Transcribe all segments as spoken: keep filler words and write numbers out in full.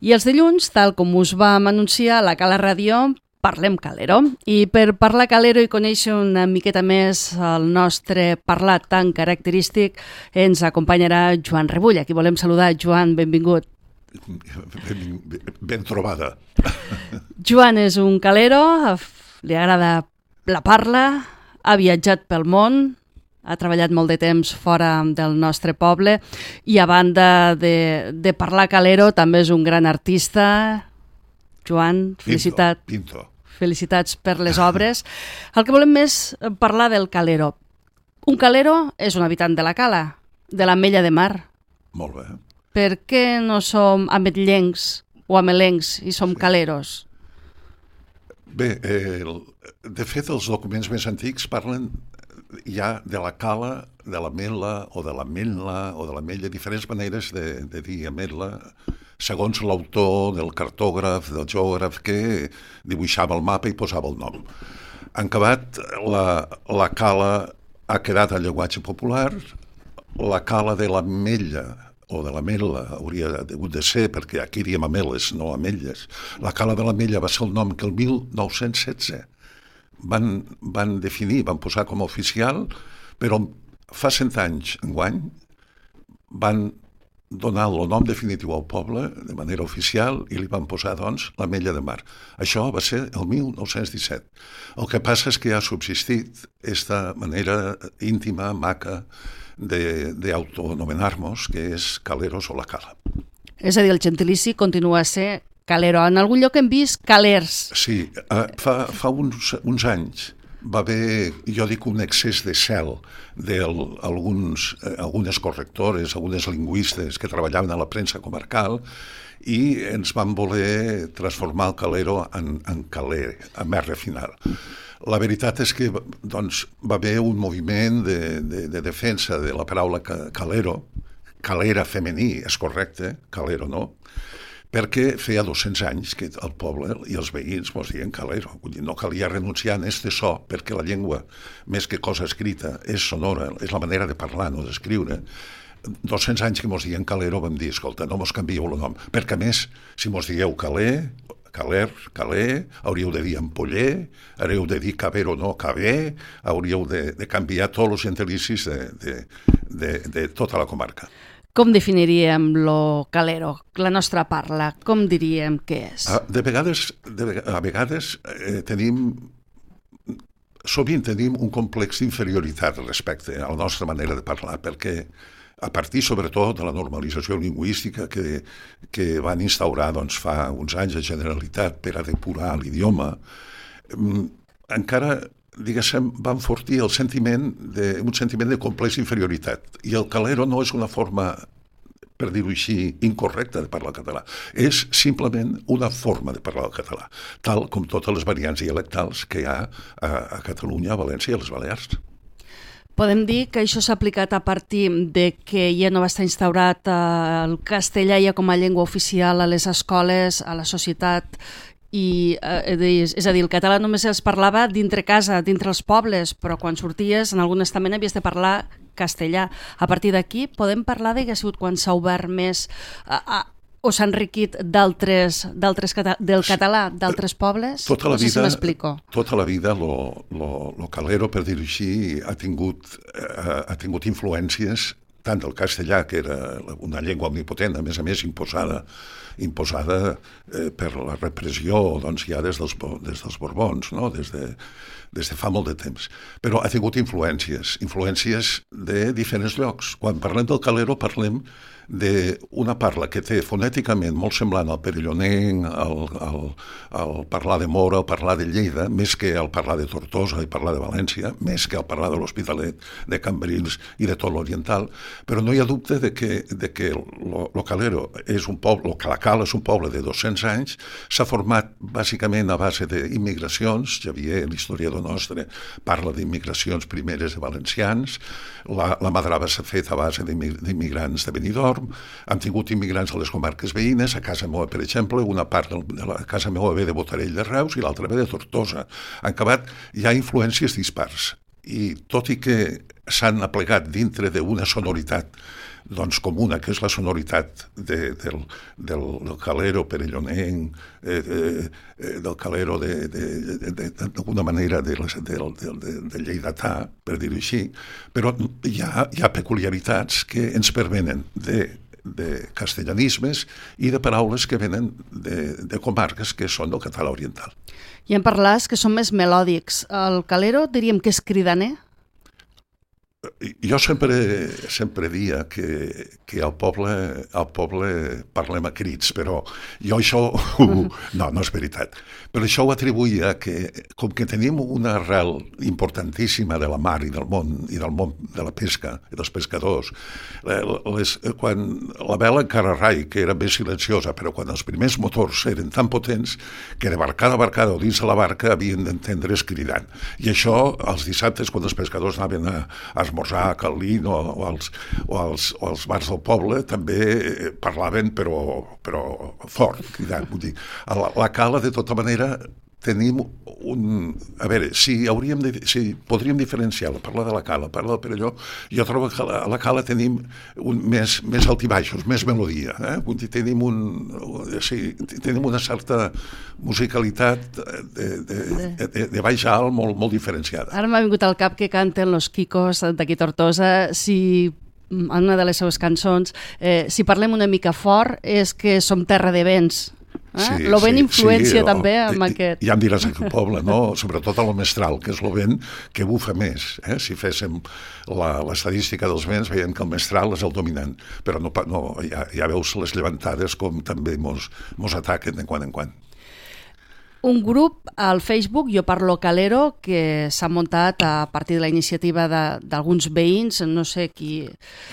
I els dilluns, tal com us vam anunciar a la Cala Ràdio, parlem calero. I per parlar calero i conèixer una miqueta més el nostre parlat tan característic, ens acompanyarà Joan Rebull. Aquí volem saludar. Joan, benvingut. Ben, ben trobada. Joan és un calero, li agrada la parla, ha viatjat pel món, ha treballat molt de temps fora del nostre poble i a banda de, de parlar calero també és un gran artista. Joan, felicitat, Pinto, pinto. felicitats per les obres. El que volem més parlar del calero. Un calero és un habitant de la cala, de l'Ametlla de Mar. Molt bé. Per què no som ametllencs o amelencs i som caleros? Bé, eh, de fet els documents més antics parlen ja de la cala, de l'ametla o de l'ametla o de l'ametlla, diferents maneres de, de dir ametla, segons l'autor del cartògraf, del geògraf que dibuixava el mapa i posava el nom. En acabat, la, la cala ha quedat en llenguatge popular, la cala de l'ametlla o de l'ametla hauria hagut de ser, perquè aquí diem ameles, no ametlles. La cala de l'ametlla va ser el nom que el mil nou-cents setze van, van definir, van posar com a oficial, però fa cent anys, enguany, van donar el nom definitiu al poble de manera oficial i li van posar, doncs, l'Ametlla de Mar. Això va ser el mil nou-cents disset. El que passa és que ha subsistit aquesta manera íntima, maca, d'autoanomenar-nos, que és caleros o la cala. És a dir, el gentilici continua a ser calero. En algun lloc hem vist calers. Sí, fa, fa uns, uns anys va haver, jo dic, un excés de cel d'algunes algunes correctores, algunes lingüistes que treballaven a la premsa comarcal i ens van voler transformar el calero en, en caler, en més refinat. La veritat és que doncs, va haver un moviment de, de, de defensa de la paraula calero, calera femení, és correcte, calero no, perquè feia dos-cents anys que el poble i els veïns mos diuen calero. Vull dir, no calia renunciar a este so, perquè la llengua, més que cosa escrita, és sonora, és la manera de parlar, no d'escriure. dos-cents anys que mos diuen calero vam dir, escolta, no mos canvieu el nom, perquè a més, si mos digueu caler, caler, caler, hauríeu de dir ampoller, hauríeu de dir caber o no caber, hauríeu de, de canviar tots els gentilicis de, de, de, de tota la comarca. Com definiríem lo calero, la nostra parla? Com diríem què és? De vegades, de, a vegades eh, tenim, sovint tenim un complex d'inferioritat respecte a la nostra manera de parlar, perquè a partir sobretot de la normalització lingüística que, que van instaurar doncs, fa uns anys a Generalitat per a depurar l'idioma, encara diguéssim, va enfortir el sentiment de, un sentiment de complex inferioritat. I el calero no és una forma, per dir-ho així, incorrecta de parlar català. És simplement una forma de parlar el català, tal com totes les variants dialectals que hi ha a, a Catalunya, a València i a les Balears. Podem dir que això s'ha aplicat a partir de que ja no va estar instaurat el castellà ja com a llengua oficial a les escoles, a la societat. I, eh, és a dir, el català només es parlava dintre casa, dintre els pobles, però quan sorties en algun estament havies de parlar castellà. A partir d'aquí podem parlar de que ha sigut quan s'ha obert més a, a, o s'ha enriquit d'altres, d'altres cata, del català d'altres pobles? Tota la no sé vida, si m'explico. Tota la vida lo, lo, lo calero, per dir-ho així, ha tingut, eh, ha tingut influències tant del castellà, que era una llengua omnipotent, a més a més imposada, imposada eh, per la repressió doncs, ja des dels, des dels Borbons, no? des, de, des de fa molt de temps. Però ha tingut influències, influències de diferents llocs. Quan parlem del calero parlem d'una parla que té fonèticament molt semblant al perellonenc, al, al, al parlar de Mora, al parlar de Lleida, més que al parlar de Tortosa i parlar de València, més que al parlar de l'Hospitalet, de Cambrils i de tot l'Oriental, però no hi ha dubte de que, de que lo, lo calero és un poble, lo Calacal és un poble de dos-cents anys, s'ha format bàsicament a base d'immigracions. Xavier, l'historiador nostre, parla d'immigracions primeres de valencians, la, la Madrava s'ha fet a base d'immigrants de Benidorm, hem tingut immigrants a les comarques veïnes, a casa meva, per exemple, una part de la casa meva ve de Botarell de Reus i l'altra ve de Tortosa. En acabat, hi ha influències dispars i tot i que s'han aplegat dintre d'una sonoritat doncs, comuna, que és la sonoritat de, del, del, del calero perellonenc, eh, eh, del calero de, de, de, de, d'alguna manera de, de, de, de, de lleidatà, per dir-ho així, però hi ha, hi ha peculiaritats que ens pervenen de de castellanismes i de paraules que venen de, de comarques que són del català oriental. I en parlars que són més melòdics. El calero diríem que és cridaner? Jo sempre, sempre dia que, que al poble, al poble parlem a crits, però jo això... Uh, no, no és veritat. Però això ho atribuïa que, com que tenim una arrel importantíssima de la mar i del món, i del món de la pesca, i dels pescadors, les, quan la vela encara rai, que era més silenciosa, però quan els primers motors eren tan potents que de barcada a barcada o dins de la barca havien d'entendre's cridant. I això, els dissabtes, quan els pescadors anaven a, a esmorzar a Calín o, o, als, o, als, o als bars del poble, també parlaven però, però fort, cridant. Vull dir, a la, la cala, de tota manera, tenim un... A veure, si, hauríem de, si podríem diferenciar la parla de la cala, parla del Perelló, jo trobo que a la cala tenim un, més, més altibaixos, més melodia. Eh? Vull dir, tenim, un, sí, tenim una certa musicalitat de, de, de, de baix a alt molt, molt diferenciada. Ara m'ha vingut al cap que canten los Quicos d'aquí Tortosa, si en una de les seves cançons, eh, si parlem una mica fort és que som terra de vents. Eh? Sí, L'Ovent sí, influència sí, també o, amb aquest... Ja em diràs aquí al poble, no? Sobretot a lo mestral, que és l'Ovent que bufa més. Eh? Si féssim la, l'estadística dels vents, veiem que el mestral és el dominant, però no, no, ja, ja veus les llevantades com també mos, mos ataquen de quan en quan. Un grup al Facebook, Jo Parlo Calero, que s'ha muntat a partir de la iniciativa de, d'alguns veïns, no sé qui...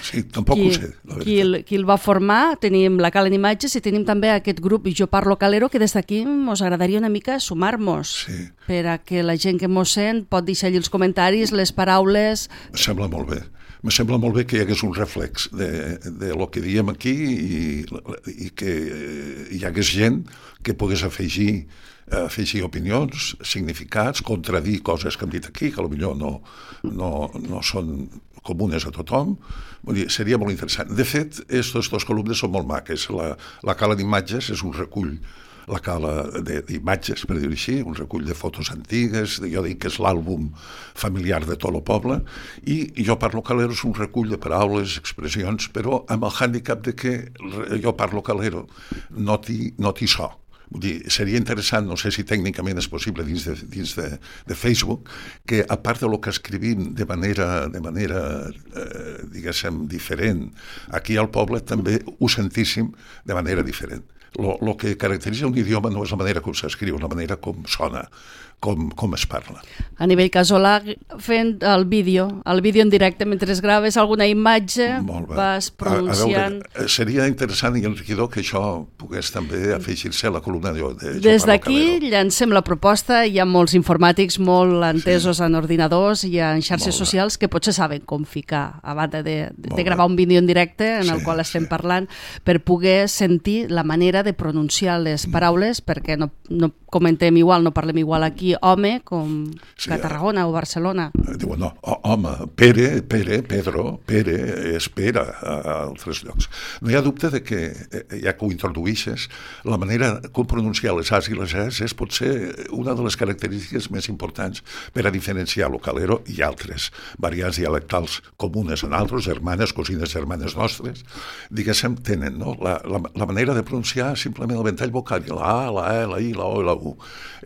Sí, tampoc qui, ho sé, la veritat. Qui el, qui el va formar. Tenim la Cala en Imatges i tenim també aquest grup Jo Parlo Calero, que des d'aquí ens agradaria una mica sumar-nos, sí, per a que la gent que mos sent pot deixar allí els comentaris, les paraules... Em sembla molt bé. Me sembla molt bé que hi hagués un reflex de, de lo que diem aquí i, i que hi hagués gent que pogués afegir afegir opinions, significats, contradir coses que hem dit aquí, que potser no, no, no són comunes a tothom. Vull dir, seria molt interessant. De fet, aquestes dues columnes són molt maques. La, la Cala d'Imatges és un recull, la Cala d'Imatges, per dir-ho així, un recull de fotos antigues, jo dic que és l'àlbum familiar de tot el poble, i Jo Parlo Calero és un recull de paraules, expressions, però amb el hàndicap de que Jo Parlo Calero no té no té so. Vull dir, seria interessant, no sé si tècnicament és possible dins de, dins de, de Facebook, que a part de lo que escrivim de manera, de manera eh, diguéssim, diferent, aquí al poble també ho sentíssim de manera diferent. Lo, lo que caracteritza un idioma no és la manera com s'escriu, la manera com sona, com, com es parla. A nivell casolà, fent el vídeo, el vídeo en directe, mentre es graves alguna imatge, vas pronunciant... A, a veure, seria interessant i enriquidor que això pogués també afegir-se a la columna de, de Des d'aquí llancem la proposta, hi ha molts informàtics molt entesos sí. en ordinadors i en xarxes socials que potser saben com ficar, a banda de, de, de gravar un vídeo en directe en sí, el qual estem sí. parlant, per poder sentir la manera de pronunciar les paraules, perquè no, no comentem igual, no parlem igual aquí home com sí, a Tarragona o Barcelona. Diuen, no, home, Pere, Pere, Pedro, Pere, és Pere a altres llocs. No hi ha dubte de que, ja que ho introduïxes, la manera com pronunciar les As i les Es és potser una de les característiques més importants per a diferenciar el calero i altres variants dialectals comunes en altres, germanes, cosines germanes nostres, diguéssim, tenen no? la, la, la manera de pronunciar simplement el ventall vocal, la A, la E, la I, la O i la U.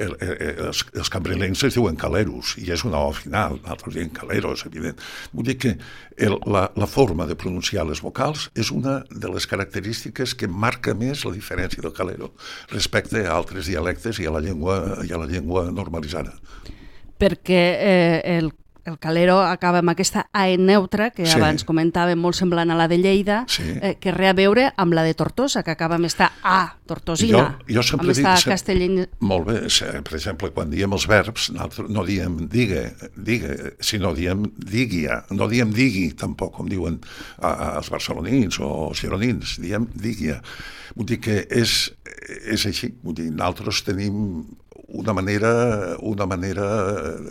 El, el, els, els cambrilencs es diuen caleros i és una O final, altres diuen caleros, evident. Vull dir que el, la, la forma de pronunciar les vocals és una de les característiques que marca més la diferència del calero respecte a altres dialectes i a la llengua, i a la llengua normalitzada. Perquè eh, el El calero acaba amb aquesta A E neutra, que sí. abans comentàvem, molt semblant a la de Lleida, sí. eh, que rea a veure amb la de Tortosa, que acaba amb esta A tortosina, jo, jo amb esta dic, castellina. Molt bé, per exemple, quan diem els verbs, no diem digue, digue, sinó diem diguia, no diem digui tampoc, com diuen els barcelonins o els gironins, diem diguia. Vull dir que és, és així, vull dir, nosaltres tenim una manera, una manera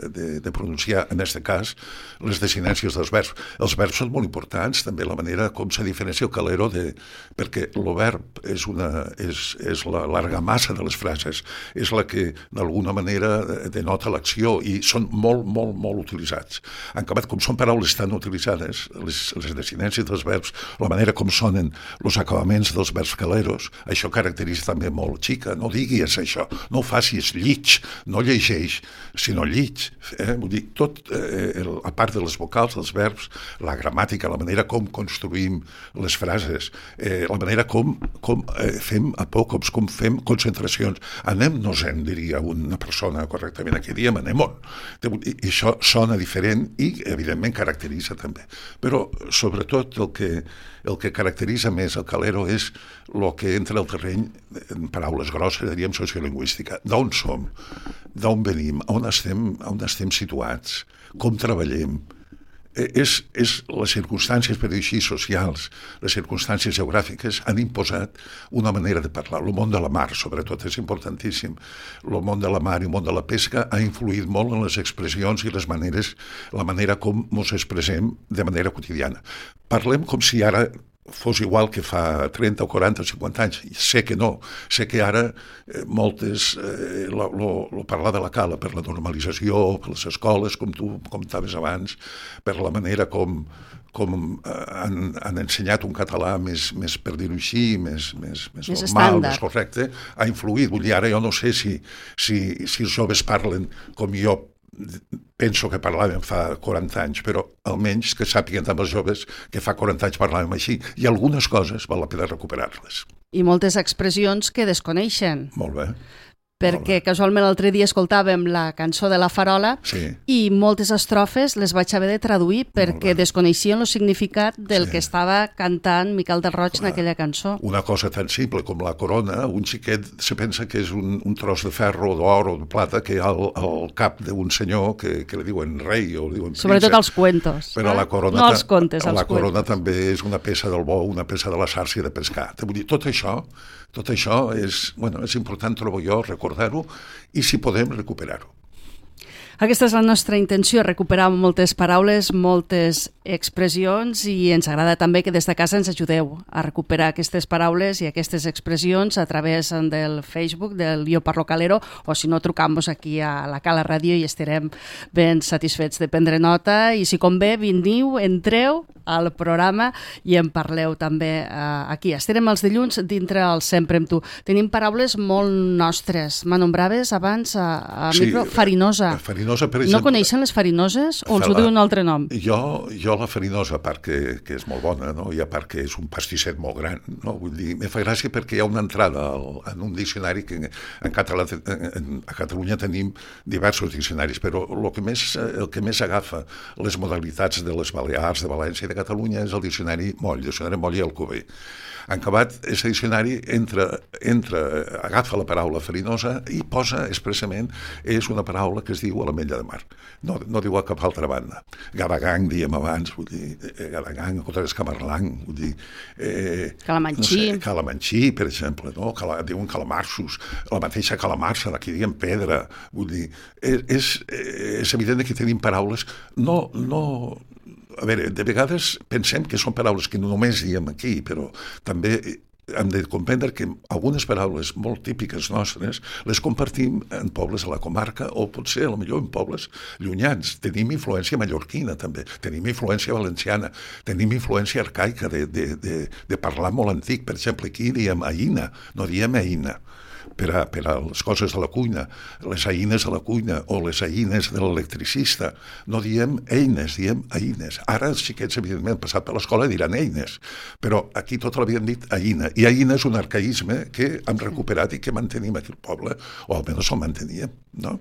de, de pronunciar, en aquest cas, les desinències dels verbs. Els verbs són molt importants, també la manera com se diferencia el calero, de, perquè el verb és, una, és, és la l'argamassa de les frases, és la que d'alguna manera denota l'acció i són molt, molt, molt utilitzats. En acabat, com són paraules tan utilitzades, les, les desinències dels verbs, la manera com sonen els acabaments dels verbs caleros, això caracteritza també molt. Xica, no diguis això, no ho facis, llig, no llegeix, sinó llig. Eh? Vull dir, tot, eh, el, a part de les vocals, dels verbs, la gramàtica, la manera com construïm les frases, eh, la manera com, com eh, fem apòcops, com fem concentracions. Anem-nos-en, diria una persona correctament, aquí diem anem-on. I això sona diferent i, evidentment, caracteritza també. Però, sobretot, el que, el que caracteritza més el calero és el que entra al terreny, en paraules grosses, diríem sociolingüística. D'on som? D'on venim? On estem, on estem situats? Com treballem? És, és les circumstàncies, per dir així, socials, les circumstàncies geogràfiques han imposat una manera de parlar. El món de la mar, sobretot, és importantíssim. El món de la mar i el món de la pesca ha influït molt en les expressions i les maneres, la manera com ens expressem de manera quotidiana. Parlem com si ara fos igual que fa trenta o quaranta o cinquanta anys. Sé que no. Sé que ara eh, moltes, eh, lo, lo, lo parlar de la cala per la normalització, per les escoles, com tu comentaves abans, per la manera com, com eh, han, han ensenyat un català més, més per dir-ho així, més, més, més, més normal, estàndard, més correcte, ha influït. Vull dir, ara jo no sé si, si, si els joves parlen com jo penso que parlàvem fa quaranta anys, però almenys que sàpiguen també els joves que fa quaranta anys parlàvem així. I algunes coses val la pena recuperar-les. I moltes expressions que desconeixen. Molt bé. Perquè casualment l'altre dia escoltàvem la cançó de La Farola sí. i moltes estrofes les vaig haver de traduir perquè desconeixien el significat del sí. que estava cantant Miquel del Roig en aquella cançó. Una cosa tan simple com la corona, un xiquet se pensa que és un, un tros de ferro, d'or o de plata que hi ha al, al cap d'un senyor que, que li diuen rei o li diuen príncep. Sobretot als cuentos. Però eh? la corona, no als contes, als la corona cuentos. També és una peça del bou, una peça de la sàrcia de pescar. Vull dir, tot això, tot això és, bueno, és important, trobo jo, recordar-ho i si podem recuperar-ho. Aquesta és la nostra intenció, recuperar moltes paraules, moltes expressions i ens agrada també que des de casa ens ajudeu a recuperar aquestes paraules i aquestes expressions a través del Facebook del Jo Parlo Calero o si no trucam-vos aquí a la Cala Ràdio i estarem ben satisfets de prendre nota i si convé veniu, entreu al programa i en parleu també uh, aquí. Estarem els dilluns dintre el Sempre amb tu. Tenim paraules molt nostres. M'anombraves abans a, a sí, micro farinosa. Farinosa, per exemple. No coneixen les farinoses o els ho diu un altre nom? Jo, jo la farinosa, a part que, que és molt bona, no? I a part que és un pastisset molt gran, no? Vull dir, me fa gràcia perquè hi ha una entrada al, en un diccionari que en català, en, a Catalunya tenim diversos diccionaris, però el que més, el que més agafa les modalitats de les Balears, de València i de Catalunya és el diccionari Moll, el diccionari Moll i Alcover. En acabat, aquest diccionari entra, entra, agafa la paraula farinosa i posa expressament, és una paraula que es diu a l'ametlla de mar. No, no diu a cap altra banda. Gadagang, diem abans, vull dir, Gadagang, Cotres Camarlang, vull dir... Eh, Calamanxí. No sé, Calamanxí, per exemple, no? Cala, diuen calamarsos, la mateixa calamarsa, d'aquí diem pedra, vull dir... És, és, és evident que tenim paraules, no... no a veure, de vegades pensem que són paraules que no només diem aquí, però també hem de comprendre que algunes paraules molt típiques nostres les compartim en pobles de la comarca o potser, potser en pobles llunyans. Tenim influència mallorquina també, tenim influència valenciana, tenim influència arcaica de, de, de, de parlar molt antic. Per exemple, aquí diem aïna, no diem eina. Per a, per a les coses de la cuina, les eines de la cuina o les eines de l'electricista. No diem eines, diem eines. Ara els xiquets, evidentment, han passat per l'escola i diran eines, però aquí tot l'havien dit eina. I eina és un arcaïsme que hem recuperat i que mantenim aquí al poble, o almenys el manteníem, no?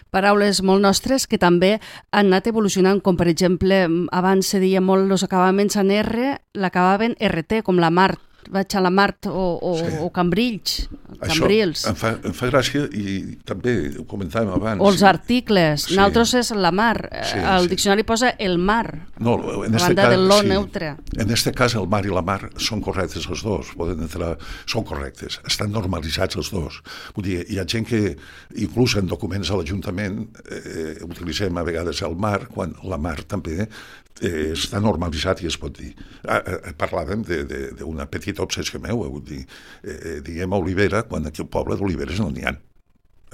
Paraules molt nostres que també han anat evolucionant, com per exemple, abans se deia molt els acabaments en R, l'acabaven R T, com la mar. vaig a la Mart o, o, sí. o Cambrills, Cambrils. Això em fa, em fa gràcia i també ho comentàvem abans. O els articles. Sí. Nosaltres és la mar. Sí, el sí. diccionari posa el mar. No, en a este banda cas, del lo sí. neutre. En este cas el mar i la mar són correctes els dos, poden entrar, són correctes, estan normalitzats els dos. Vull dir, hi ha gent que, inclús en documents a l'Ajuntament, eh, utilitzem a vegades el mar, quan la mar també eh, està normalitzat i es pot dir. Ah, eh, parlàvem d'una petita obsessió meva, vull dir, eh, diem olivera quan aquí al poble d'oliveres no n'hi ha.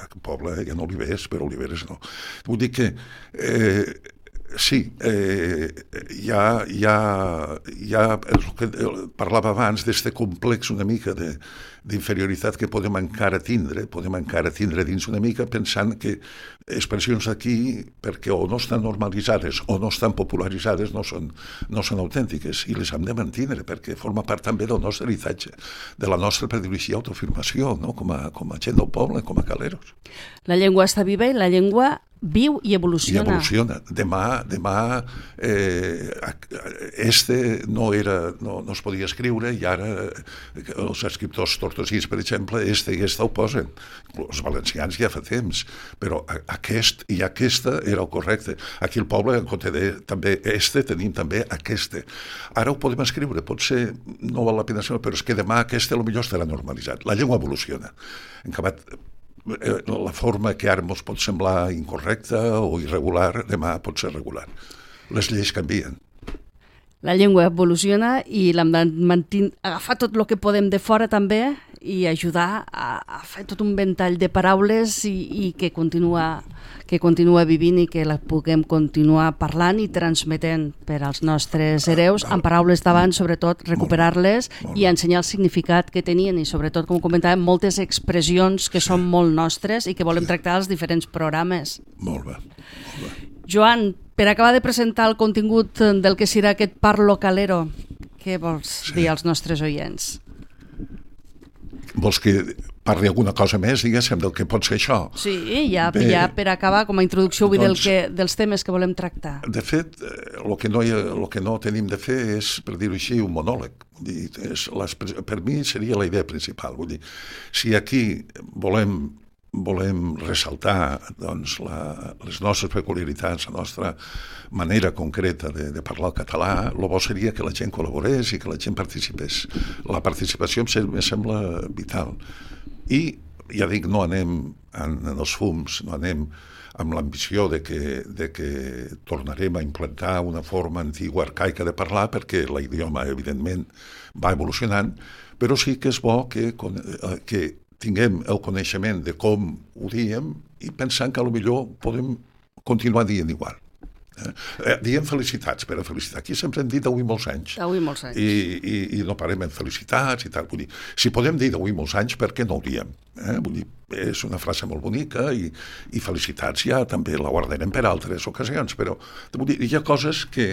Al poble hi ha olivers, però oliveres no. Vull dir que eh, sí, eh, hi ha, hi ha, hi ha el que parlava abans d'este complex una mica de, d'inferioritat que podem encara tindre, podem encara tindre dins una mica pensant que expressions aquí, perquè o no estan normalitzades o no estan popularitzades, no són, no són autèntiques i les hem de mantindre perquè forma part també del nostre heritatge, de la nostra predilecció i autoafirmació, no? com, a, com a gent del poble, com a caleros. La llengua està viva i la llengua viu i evoluciona. I evoluciona. Demà, demà eh, este no, era, no, no es podia escriure i ara els escriptors tortosís, per exemple, este i esta ho posen. Els valencians ja fa temps, però aquest i aquesta era el correcte. Aquí al poble, en compte de també este, tenim també aquesta. Ara ho podem escriure, potser no val la pena, però és que demà aquesta potser estarà normalitzat. La llengua evoluciona. En acabat, la forma que ara ens pot semblar incorrecta o irregular, demà pot ser regular. Les lleis canvien. La llengua evoluciona i l'hem de mantenir, agafar tot el que podem de fora també i ajudar a, a fer tot un ventall de paraules i, i que continua que continua vivint i que la puguem continuar parlant i transmetent per als nostres hereus, amb paraules d'abans, sobretot recuperar-les i ensenyar el significat que tenien i sobretot, com comentàvem, moltes expressions que són molt nostres i que volem tractar als diferents programes. Molt bé, molt bé. Joan, per acabar de presentar el contingut del que serà aquest Parlo Calero, què vols sí. dir als nostres oients? Vols que parli alguna cosa més, diguéssim, del que pot ser això? Sí, ja, Bé, ja per acabar, com a introducció, vull doncs, dir, del que, dels temes que volem tractar. De fet, el que no, hi ha, el que no tenim de fer és, per dir-ho així, un monòleg. Vull dir, és les, per mi seria la idea principal. Vull dir, si aquí volem volem ressaltar doncs, la, les nostres peculiaritats, la nostra manera concreta de, de parlar el català, el bo seria que la gent col·laborés i que la gent participés. La participació em sembla vital. I, ja dic, no anem en, en els fums, no anem amb l'ambició de que, de que tornarem a implantar una forma antigua, arcaica de parlar, perquè l'idioma, evidentment, va evolucionant, però sí que és bo que, que tinguem el coneixement de com ho diem i pensant que potser podem continuar dient igual. Eh, diem felicitats per a felicitar. Aquí sempre hem dit d'avui molts anys. D'avui molts anys. I, i, i no parem en felicitats i tal. Vull dir, si podem dir d'avui molts anys, per què no ho diem? Eh? Vull dir, és una frase molt bonica i, i felicitats ja també la guardarem per altres ocasions, però vull dir, hi ha coses que,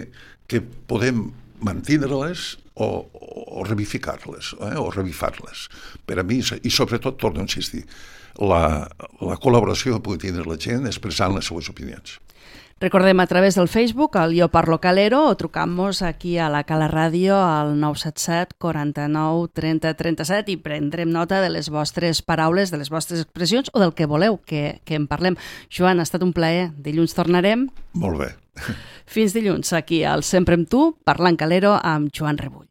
que podem mantindre-les o, o revificar-les, eh? o revifar-les. Per a mi, i sobretot, torno a insistir, la, la col·laboració que pugui tindre la gent expressant les seues opinions. Recordem a través del Facebook, el Jo Parlo Calero, o trucant-nos aquí a la Cala Ràdio al nou set set quaranta-nou trenta trenta-set i prendrem nota de les vostres paraules, de les vostres expressions o del que voleu que, que en parlem. Joan, ha estat un plaer. Dilluns tornarem. Molt bé. Fins dilluns, aquí al Sempre amb tu, parlant calero amb Joan Rebull.